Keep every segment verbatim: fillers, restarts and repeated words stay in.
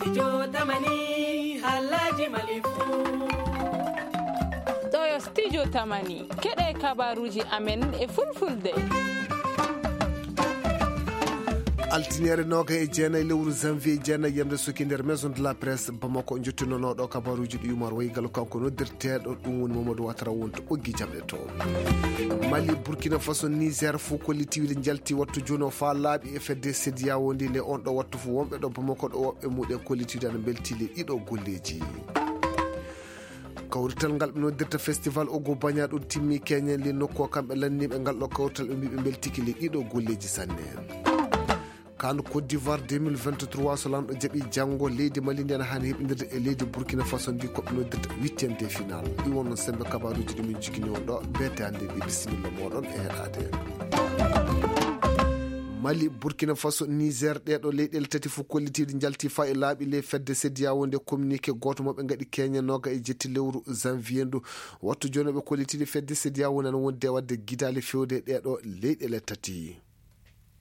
Studio Tamani, haalaaji Mali fuu. Ɗo yo Studio Tamani, keɗe kabaruuji amen e fulfulde. Altiniere noga e jeenayi lewru janvier, jeenayi yamde suki nder Maison de la Presse Bamako, jottinonooɗo kabaruuji ɗi Umar Waygal, kanko noddirteeɗo, ɗum woni Mamadou Ouattara, wonto ɓoggi jamɗe to. Mali, Burkina Faso, Niger, fuu kolliti wiyde njalti wattu jooni o faa laaɓi e fedde CEDEAO ndi. Nde on ɗo wattu fuu, wonɓe ɗo Bamako ɗo, woɓɓe muɗen kolliti wiyde ana mbelti le ɗiɗo golleeji. Kawrital ngal ɓe noddirta Festival Ogo Banya ɗum timmi Kenya, le nokku o kamɓe lanniiɓe ngal ɗo kawrital, ɓe mbi ɓe mbeltiki le ɗiɗo golleeji sanne. Kan Côte d'Ivoire deux mille vingt-trois, so lanɗo jaɓi janngo, leydi Mali ndi ana haani heɓindirde e leydi Burkina Faso ndi, ko ɓe noddirta huitième de finale. Ɗi wonno sembe kabaruuji ɗi min jogini on ɗo, beete hannde ndi. Bisimilla mooɗon e heɗaade. Mali, Burkina Faso, Niger, ɗee ɗo leyɗeele tati fof kollitiiɗe njalti faa e laaɓi ley fedde CEDEAO nde. Communiqué gooto mo ɓe ngaɗi Kenya noga e jetti lewru janvier ndu. Wattu jooni ɓe kollitiiɗe fedde CEDEAO nana wondi e waɗde gidaali fewde e ɗee ɗo leyɗeele tati.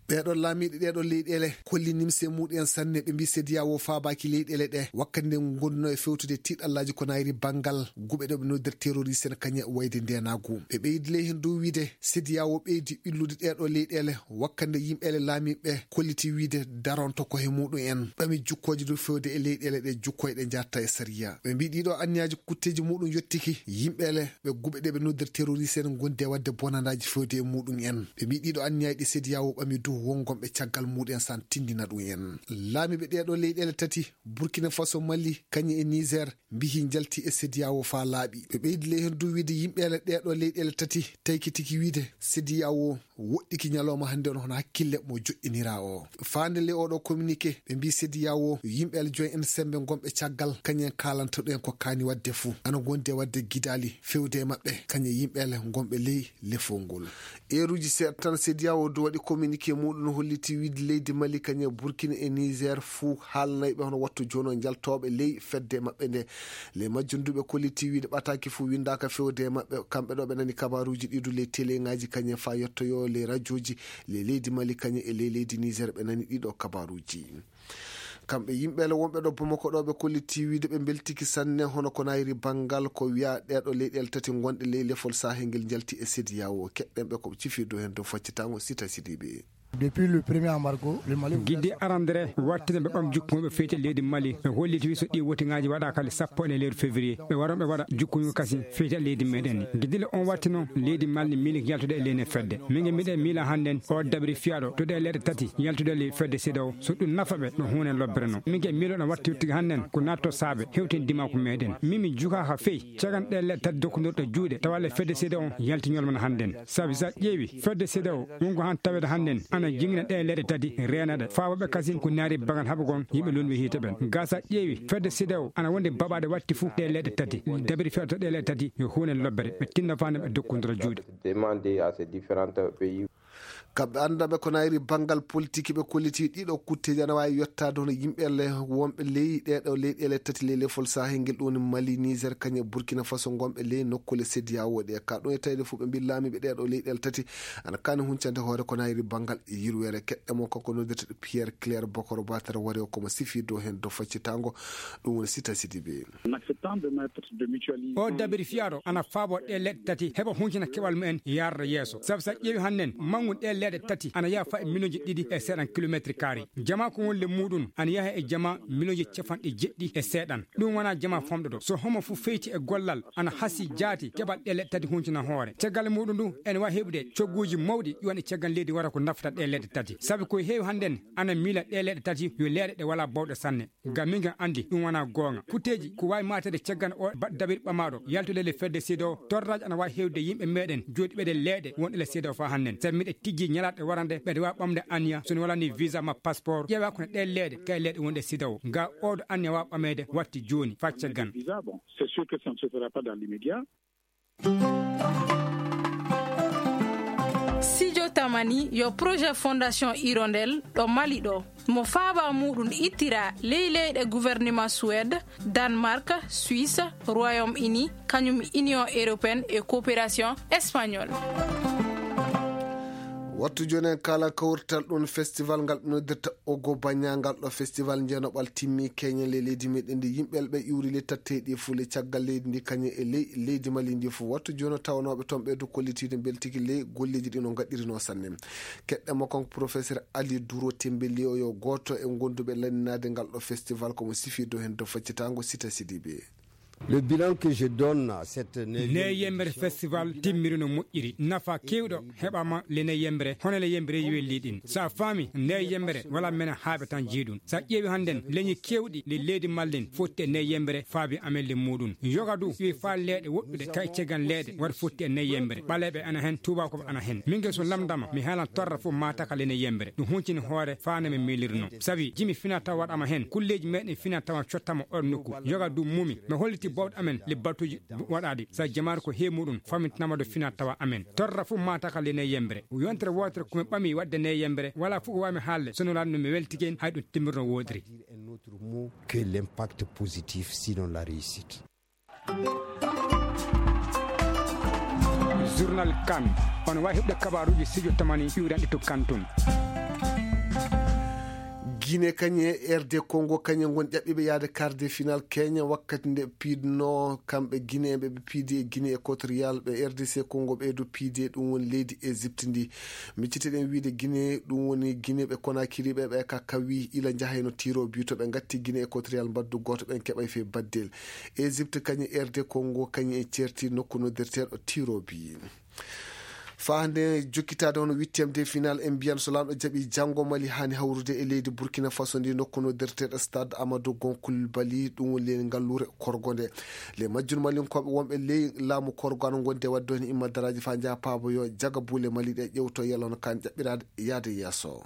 Ɓee ɗoo laamiiɓe ɗee ɗoo leyɗeele kolli nimse muɗum en sanne. Ɓe mbii CEDEAO faabaaki leyɗeele ɗe wakkati nde ngonduno e fewtude tiiɗallaaji ko nayri banngal guɓe ɗo ɓe noddir terroriste en kañe wayde ndeenaagu. Ɓe ɓeydi ley heen dow wiide CEDEAO ɓeydi ɓillude ɗee ɗoo leyɗeele wakkati nde yimɓeele laamiiɓe kolliti wiide daronto ko he muɗum en ɓami jukkooji dow fewde e leyɗeele ɗe jukkoyɗe njatta e sariya. Ɓe mbii ɗii ɗoo anniyaaji kutteeji muɗum yottiki yimɓeele ɓe guɓe ɗe ɓe noddir terroriste en ngondi e waɗde bonandaaji fewde e muɗum en. Ɓe mbii ɗii ɗoo anniyaaji ɗi CEDEAO ɓami dow wongonɓe caggal muɗum en san tindina ɗum en. Laamiiɓe ɗee ɗoo leyɗeele tati, Burkina Faso, Mali, kañum e Niger, mbihi njalti e CEDEAO faa laaɓi. Ɓe ɓeydi ley heen dow wiide yimɓeele ɗee ɗoo leyɗeele tati taykitiki wiide CEDEAO woɗɗiki ñalawma hannde on hono hakkille mo joɗɗiniraa o. Faande le oɗo communiqué, ɓe mbii CEDEAO yimɓeele joyi en sembe ngonɓe caggal, kañum en kaalantoɗen ko kaani waɗde fuu. Ana ngondi e waɗde gidaali fewde e maɓɓe, kañum e yimɓeele ngonɓe ley lefol ngol. Eeruuji seeɗa tan, CEDEAO du waɗi communiqué muɗum, holliti wiide leydi Mali, kañum e Burkina e Niger fuu haalnayɓe hono wattu jooni o njaltooɓe ley fedde maɓɓe nde. Ley majjum du ɓe kolliti wiide ɓataaki fuu winndaaka fewde e maɓɓe. Kamɓe ɗo ɓe nani kabaruuji ɗi du ley teleŋaaji, kañum e faa yettoyoo ley rajooji ley leydi Mali, kañum e ley leydi Niger ɓe nani ɗii ɗoo kabaruuji. Kamɓe yimɓeele wonɓe ɗo Bamako ɗo ɓe kolliti wiide ɓe mbeltiki sanne hono ko nayri banngal ko wiyaa ɗee ɗoo leyɗeele tati ngonɗe ley lefol Sahel ngel njalti e CEDEAO. Keɗɗen ɓe ko ɓe cifi dow heen dow faccitaango Sita Sidibe. Depuis le premier embargo, le Mali Gidde arandere wartinde ɓe ɓam jukkuŋo ɓe feyti e leydi Mali. Ɓe holliti wi so ɗi wotiŋaaji waɗaaka le sappo e lewru février, ɓe waron ɓe waɗa jukkuŋo kasi feyti e leydi meɗen. Gidde le on watti noon leydi Mali miili yaltude e leyne fedde. Min nge miɗen miila hannden o dabri fiyaaɗo to ɗe leyɗe tati yaltude le fedde CEDEAO, so ɗum nafa ɓe no huune lobbere no. Min nge miilo no watti yottude hannden ko natto saabe hewten dimaako meɗen. Min mi jukaaka fey cagan ɗe leyɗe tati dokkundirɗe juuɗe tawa le fedde CEDEAO on yalti ñolmana hannden. Sabi sa ƴeewi fedde CEDEAO wongo han tawede hannden ana jingina ɗe leyɗe tati reenaɗe faabaɓe kasin ko naari bagan haɓagon yimɓe lunɓe hiite ɓen. Ga sa ƴeewi fedde CEDEAO ana wonde baɓaɗe watti fuu ɗe leyɗe tati dabiri fewta ɗe leyɗe tati yo huunen lobbere ɓe tinna fande ɓe dokkundira juuɗe. Demande à ces différents pays. Kamɓe anndaɓe ko nayri banngal politique ɓe kolliti ɗiɗo kutteeji ana waawi yottaade hono yimɓe le wonɓe ley ɗee ɗoo leyɗeele tati ley lefol Sahel ngel, ɗum woni Mali, Niger, kañum e Burkina Faso, ngonɓe ley nokkuule CEDEAO ɗe. Ka ɗum e tawde fof ɓe mbii laamiiɓe ɗee ɗoo leyɗeele tati ana kaani huncande hoore ko nayri banngal yirweere. Keɗɗe mo kanko noddirteɗo Pierre Claire Bokoro Batara wari o komo sifi dow heen dow faccitaango, ɗum woni Sita Sidibe. O dabiri fiyaaɗo ana faabo ɗe leɗɗe tati heɓa huncina keɓal mumen yarda yeeso. Sabu sa ƴeewi hannden manngun ɗe leɗɗe tati ana yaha fa e miliyonji ɗiɗi e seeɗan kilometre kaari. Jama ko woni le muɗum ana yaha e jama miliyonji capanɗe jeɗɗi e seeɗan. Ɗum wona jama famɗo ɗo. So homo fof feyti e gollal ana hasi jaati keɓal ɗe leɗɗe tati huncina hoore. Caggal muɗum ndu ene wawi heɓude cogguji mawɗi ɗi woni caggal leydi wara ko naftata ɗe leɗɗe tati. Sabu ko heewi hannden ana miila ɗe leɗɗe tati yo leɗɗe ɗe wala bawɗe sanne. Ngam min ngam anndi ɗum wonaa goonga. Kutteeji ko waawi maatede caggal o ba-, dabir ɓamaaɗo yaltude le fedde CEDEAO, torraaji ana waawi heewde yimɓe meeɗen jooɗiiɓe e leyɗe wonɗe le CEDEAO faa hannden. Sabi miɗe tijjii ñalaaɗe warande mbeɗa waawi ɓamde anniya so mi walaa ni visa ma passeport, ƴeewa ko no ɗee leyɗe, kay leyɗe wonɗe CEDEAO. Ga oɗo anniya waawa ɓameede watti jooni faa caggal. Visa, bon, c'est sûr que ça ne se fera pas dans l'immédiat. Studio Tamani yo projet Fondation Hirondelle ɗo Mali ɗo. Mo faaba muɗum ittira ley leyɗe gouvernement Suède, Danemark, Suisse, Royaume-Uni, kañum Union Européenne e Coopération Espagnole. Wattu jooni en kaalan kawrital ɗum festival ngal ɓe noddirta Ogo Baña. Ngal ɗo festival jeenoɓal timmi keñen le leydi meɗen ndi. Yimɓe ɓe iwri le tatteɗi fuu le caggal leydi ndi kañum e ley leydi Mali ndi fuu. Wattu jooni o tawanooɓe toon ɓeydu kollitiiɗo mbeltiki le golleeji ɗi no ngaɗirino sanne. Keɗɗe mo kanko professeur Ali Duro Tembeli, o yo gooto e gonduɓe lanninaade ngal ɗo festival, ko mo sifi dow heen dow faccitaango Sita Sidibe. Le bilan que je donne à cette neuvième ne yembere édition festival timmiri no moƴƴiri, nafa kewɗo heɓama le ne yembere, hono le yembere welli ɗin. Sa faami ne yembere wala mena haaɓe tan jeeɗum. Sa ƴeewi hannden leñi kewɗi le leydi mallen fotti e ne yembere faabi amen le muɗum. Yoga du wi fa leeɗe woɗɗude kay cegan leeɗe waɗa fotti e ne yembere. Ɓaleeɓe ana hen, tubakoɓe ana hen. Mingel so lamdama mi haalan torra fof mataka le ne yembere. Ɗum huncini hoore faana mi miilirno. Sabi jimi fina taw waɗama hen, kulleeji meɗen fina tawa cottama oɗo nokku. Yoga du mumi, mi holliti bawɗo amen le batuji waɗaɗi. Sa jamaare ko he muɗum, famintinama do fina tawa amen. Torra fof mataka le ne yembere. Yontere wotere ko mi ɓami waɗde ne yembere, wala fof ko wami haalde, sono lanno mi weltike en, hay ɗum timmirno wodiri. Un autre mot que l'impact positif, sinon la réussite. Journal Kan, on wawi heɓde kabaruji studio tamani iwranɗe to Kan tun. Guinée kañum e R D Congo kañum ngon ƴaɓɓiɓe yaade quart de final keña wakkati nde piidno kamɓe Guinée ɓe ɓe piidi e Guinée équatorial, ɓe R D C Congo ɓeydu piidi e ɗum woni leydi Égypte ndi. Miccitiɗen wiide Guinée, ɗum woni Guinée ɓe Conakry ɓe ɓe ka kawi ila njahayno tiro bi to ɓe ngatti Guinée équatorial mbaddu gooto ɓen keɓay fe baddel. Égypte kañum R D Congo kañum e certi nokku noddirteeɗo tiro bi. Faa hannde jokkitaade hono huitième de final en mbiyan so laamɗo jaɓi janngo Mali haani hawrude e leydi Burkina Faso ndi nokku noddirteeɗo stade Amadou Gon Coulibaly, ɗum woni leydi ngalluure korgo nde. Le majjun malinkooɓe wonɓe ley laamu korgo ana ngondi e waɗde heen immadaraaji faa njaha paabo yo jaga buule Mali ɗe ƴewto yalon kan ƴaɓɓiraade yaade yeeso.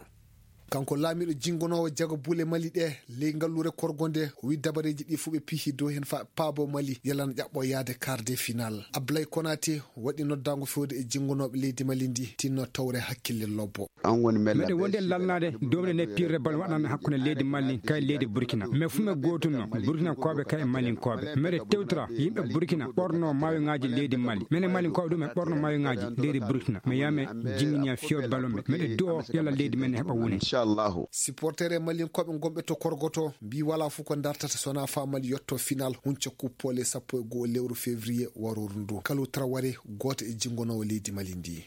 Kanko laamiiɗo jinngonoowo jaga buule Mali ɗe ley ngalluure korgo nde, o wi dabareeji ɗi fof ɓe pihi dow heen faa paabo Mali yalana ƴaɓɓo yaade quart de final. Ablaye Konaté waɗi noddaango fewde e jinngonooɓe leydi Mali ndi tinno tawre hakkille lobbo. Meɗen wondi e lalnaade dow nde ne pirre bal waɗan hakkunde leydi Mali kay leydi Burkina. Mais fu me gootunno Burkina kooɓe kay e Malin kooɓe. Meɗe tewtora yimɓe Burkina ɓorno mawiŋaaji leydi Mali. Mene Malin kooɓe ɗum e ɓorno mawiŋaaji leydi Burkina. Mi yame jinginiya fiyol bal on ɓe. Meɗe du'o yalla leydi men heɓa wune. Inshallah. Supporter e Malin kooɓe gonɓe to korgoto mbi wala fu ko dartata sona fa Mali yotto final hunca kuppole sappo e go'o lewru février waroru ndu. Kalu Traoré gooto e jinngonoowo leydi Mali ndi.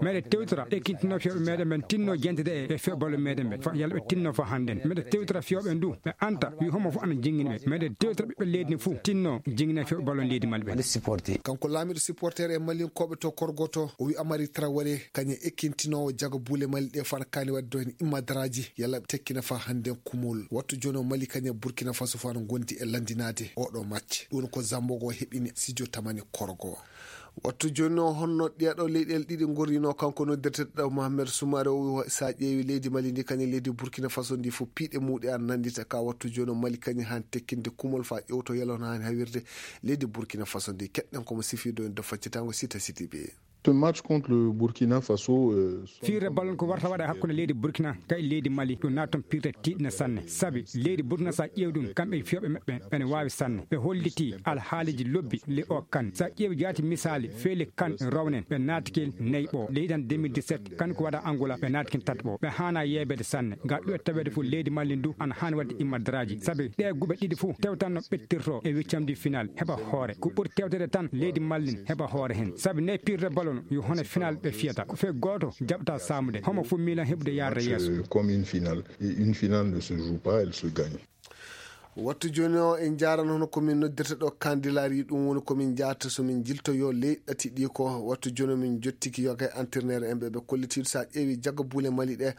Meɗe tewtora ekkitinoo fiyooɓe meɗen ɓen tinno jentede e fiyooɓe ballo meɗen ɓe. Fa yalla ɓe tinno fa hannden. Meɗe tewtora fiyooɓe ndu ɓe anta wi homo fu ana jingini ɓe. Meɗe tewtora ɓiɓɓe leydi ndi fu tinno jingina fiyooɓe ballo leydi Mali ɓe. Kanko laamiiɗo supporter e Malinkooɓe to korgoto o wi Amari Traoré kañum ekkintinoowo jago buule Mali ɗe fana kaani wadde dohen immadaraaji yalla ɓe tekkina fa hannden kumol. Wattu jooni o Mali kañum Burkina Faso fana gondi e lanndinaade oɗo match. Ɗum ko Zambo go heɓini sijo tamani korgo. Wattu jooni o honno ɗiya ɗo leyɗeele ɗiɗi gorrino kanko noddirteɗo Mohamed Soumaré o wi sa ƴeewi leydi Mali ndi kañum leydi Burkina Faso ndi fof piiɗe muɗe an nanndita ka wattu jooni o Mali kañum han tekkinde kumol fa ƴewto yalon han hawirde leydi Burkina Faso ndi keɗɗen komo sifido en do faccitango sita siti ɓe. Ce match contre le Burkina Faso, euh, firre ballon ko warta waɗa hakkunde leydi Burkina kay leydi Mali ɗum naton pirte tiiɗna sanne sabi leydi Burkina sa ƴeew ɗum kamɓe fiyoɓe maɓɓe ɓene wawi sanne ɓe holliti alhaaliji lobbi le o kan sa ƴeewi jaati misali feeli kan rownen ɓe naatkel nayi ɓo leydi tan deux mille dix-sept kan ko waɗa Angola ɓe naatkin tati ɓo ɓe hana yeebede sanne ga ɗo e taweede fof leydi Mali ndu ana hani wadde immadaraaji sabi ɗe guɓe ɗiɗi fof tewtanno ɓettirto e wiccamdi final heɓa hoore ko ɓuri tewtede tan leydi Mali heɓa hoore hen sabi ne pirre ballon yo hono final ɓe fiyata ko fe gooto jaɓta samude homo fof milan heɓude yarde yeeso. Comme une finale et une finale ne se joue pas, elle se gagne. Wattu jooni o en njaarano hono komin noddirta ɗo kandilari ɗum woni komin njaarta somin jiltoyo ley ɗati ɗi ko wattu jooni o min jottiki yoga e entraîneur en ɓe ɓe kollitiiɗo sa ƴeewi jagga buule Mali ɗe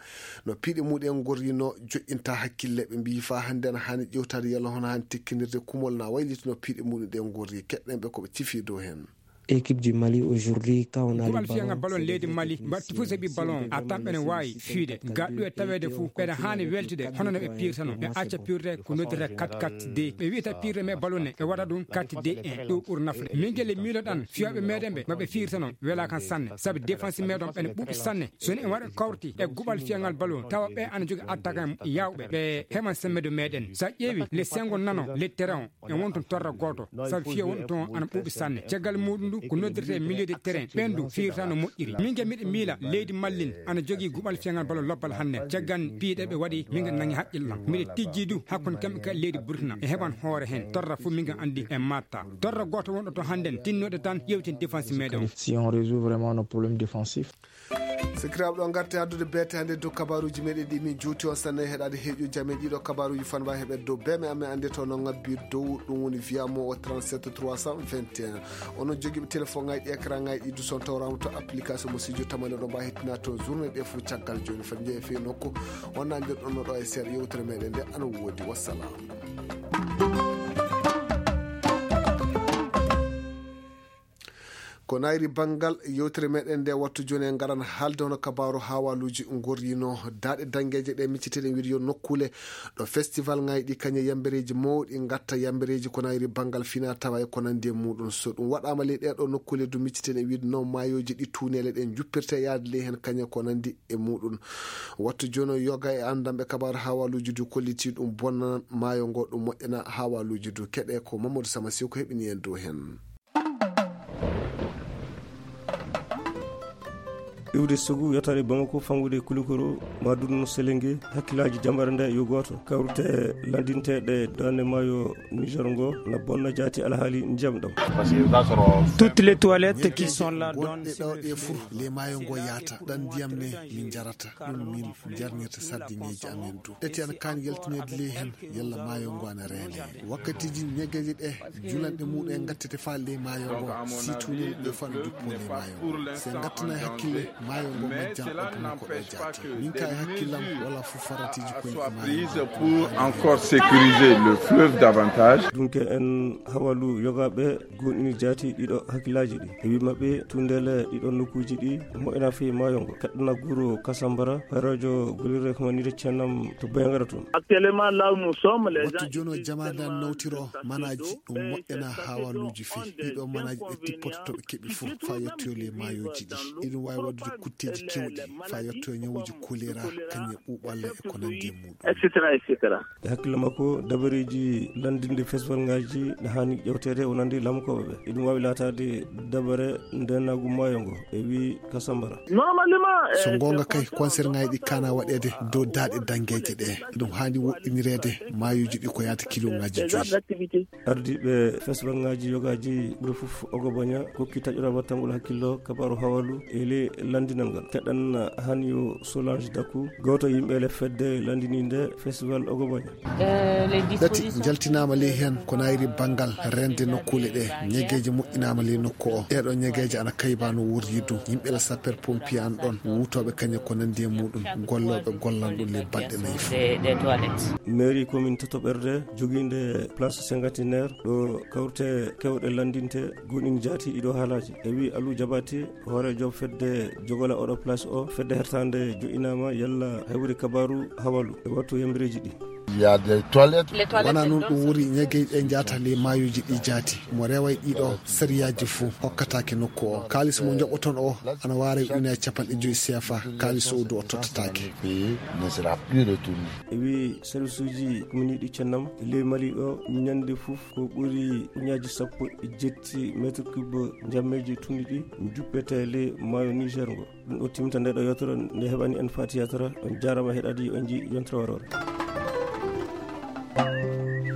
no piiɗe muɗen gorrino joƴƴinta hakkille ɓe mbiyi fa hannde ana hani ƴewtade yalla hono hani tekkinirde kumol na waylitino piiɗe muɗum ɗe gorri keɗɗen ɓe koɓe cifi dow hen. Équipe du Mali aujourd'hui quand on a le ballon, guɓal fiyagal ballon leydi Mali mbaɗti fof sabi ballon a tamɓe ne wawi fiide ga ɗo e taweede fof ɓeɗa hani weltude hono no ɓe pirtano ɓe acca pirde ko noddata quatre quatre deux ɓe wiyata pirde mais ballon ne ɓe waɗa ɗum quatre deux un ɗo ɓuri nafde min gelle miiloɗan fiyaɓe meɗen ɓe maɓe pirtano wela kan sanne sabi défense meɗon ɓene ɓuuɓi sanne soni en waɗa kawti e guɓal fiyagal ballon tawa ɓe ana jogi attaque en yawɓe ɓe heɓan semmedo meɗen sa ƴeewi le sengo nano le terrain e won toon torra gooto sabu fiya wonɗo toon ana ɓuuɓi sanne caggal muɗum ɗum Ko noddirtee milieu de terrain, ɓeen du fiyirta no moƴƴiri. Min ke miɗo miila leydi Mallin ana jogii guɓal feŋal balo lobbal hannde. Caggan piiɗe ɓe waɗi, min ke nangi haqqille am. Miɗo tijji du hakkunde kamɓe ka leydi Burkina. E heɓan hoore heen. Torra fof min ke anndi e matta. Torra gooto wonɗo to hannden, tinnoɗo tan yewtin défense meɗen. Si on résout vraiment nos problèmes défensifs. Sakiraaɓe, ɗo ngarti addude beete hannde dow kabaruuji meɗen ɗi min juuti on sanne heɗaade heeƴo jam e ɗiɗo kabaruuji fanwa heɓe dow beme amen annde to no ngabbi dow ɗum woni via mo o trente-sept trois cent vingt et un. Onon jogiiɓe téléphone ngaji ɗi écran ngaji ɗi du son tawrama to application mo sijo tamale ɗo mbawi hettina toon journée ɗe fof caggal joni fati jeeya fii nokku on nandir ɗon no ɗo e seeɗa yewtere meɗen nde ana woodi wassalam. Ko nayri banngal yewtere meɗen nde wattu jooni en ngaran haalde hono kabaaru haawaaluuji ngorrino daaɗe danngeeje ɗe micceteɗen wiide yo nokkuule ɗo festival ngaji ɗi kañe yambereeji mawɗi ngatta yambereeji ko nayri banngal fina tawa e ko nandi e muɗum so ɗum waɗaama ley ɗeɗo nokkuule du micceteɗen wiide no maayooji ɗi tuuneele ɗen juppirte yaade ley heen kañe ko nandi e muɗum. Wattu jooni o yoga e anndanɓe kabaaru haawaaluuji du kolliti ɗum bonnanan maayo ngo ɗum moƴƴana haawaaluuji du keɗe ko Mamadou Sama Siw ko heɓini en dow heen. Iwde sugu yotaade Bamako fangude Kulikoro ma dunno Selenge hakkillaaji jambaare nde yo gooto kawrite landinteeɗe daande maayo Niger ngo na bonna jaati alhaali ndiyam ɗam. Toutes les toilettes qui sont là donnent ɗo ɗe fur le maayo ngo yaata ɗan ndiyam ne min jarata ɗum min jarnirta sardiŋeeji amen du eti ana kaani yaltineede ley heen yalla maayo ngo ana reene wakkatiiji ñegeeje ɗe julanɗe muɗum en ngattete faa ley maayo ngo si tuunel ɗe faa no duppo ley maayo ngo si en ngattana hakkille maayo ngo majjan ɗo tuma ko ɗo jaati min ka e hakkillam wala fof faratiiji koye e maayo encore sécuriser le fleuve davantage. Dunke en hawalu yogaaɓe goonɗini jaati ɗiɗo hakkillaaji ɗi e wi maɓɓe tundele ɗiɗo nokkuuji ɗi moƴƴana fii maayo ngo kaɗɗana guro kasambara. Hoyrojo golirre ko manire cennam to boyangara toon. Actuellement là où nous sommes les wattu gens jono jamaade an nawtiro manaaji ɗum moƴƴana haawaluuji fii ɗiɗo manaaji ɓe tippoto to ɓe keɓi fof faa yettoyo ley maayooji ɗi iɗum waawi waɗude kutteeji kewɗi faa yettoyo ñawuuji kolera kañum e ɓuuɓalla e ko nandi e muɗum. Etc, etc. E hakkille makko dabareeji lanndinde festival ngaji ne haani ƴewteede wonande laamukooɓe ɓe eɗum waawi laataade dabare ndenaagu maayo ngo e wii kasambara. Normalement so ngoonga kay concert ngaji ɗi kaana waɗeede dow daaɗe danngeeje ɗe ɗum haani woɗɗinireede maayuuji ɗi ko yaata kilo ngaji joyi. Ardiiɓe festival ngaji yogaaji ɓuri fof ogobaña kokki taƴora wattangol hakkillo kabaaru hawalu e ley lanndinal ngal keɗan haani yo solange dakku gooto yimɓe le fedde lanndininde festival ogobaña. Ɗati njaltinaama ley heen ko nayri banngal rende nokkuule ɗe ñegeeje moƴƴinaama ley nokku o ɗeɗo ñegeeje ana kayba no worridu yimɓe la sapper pompier an ɗon wuutooɓe kañe ko nandi e muɗum gollooɓe gollan ɗum ley balɗe nayi fof. Mairie commune totoɓerde jogiinde place cinquantenaire ɗo kawte kewɗe lanndinte goɗin jaati ɗiɗo haalaaji e wi alu jaɓati hooreejo fedde jogola oɗo place o fedde hertande joƴinaama yalla hewri kabaaru hawalu e wattu yambireeji ɗi. Wona noon ɗum wuri ñegey ɗe njaata ley maayuuji ɗi jaati mo reway ɗiɗo sariyaaji fof hokkataake nokku o kaalis mo njoɓoton o ana waaray ujunaaji capanɗe joyi seefa kaalis o du o tottataake. E wi service uji komini ɗi cennam ley mali o ñande fof ko ɓuri uñaaji sappo e jetti mètre cube njammeeji tunniɗi juppete ley maayo niger ngo. Ɗum ɗo timta nde ɗo yewtere nde heɓani en fati yewtere on jarama heɗadi on ji yontere warore.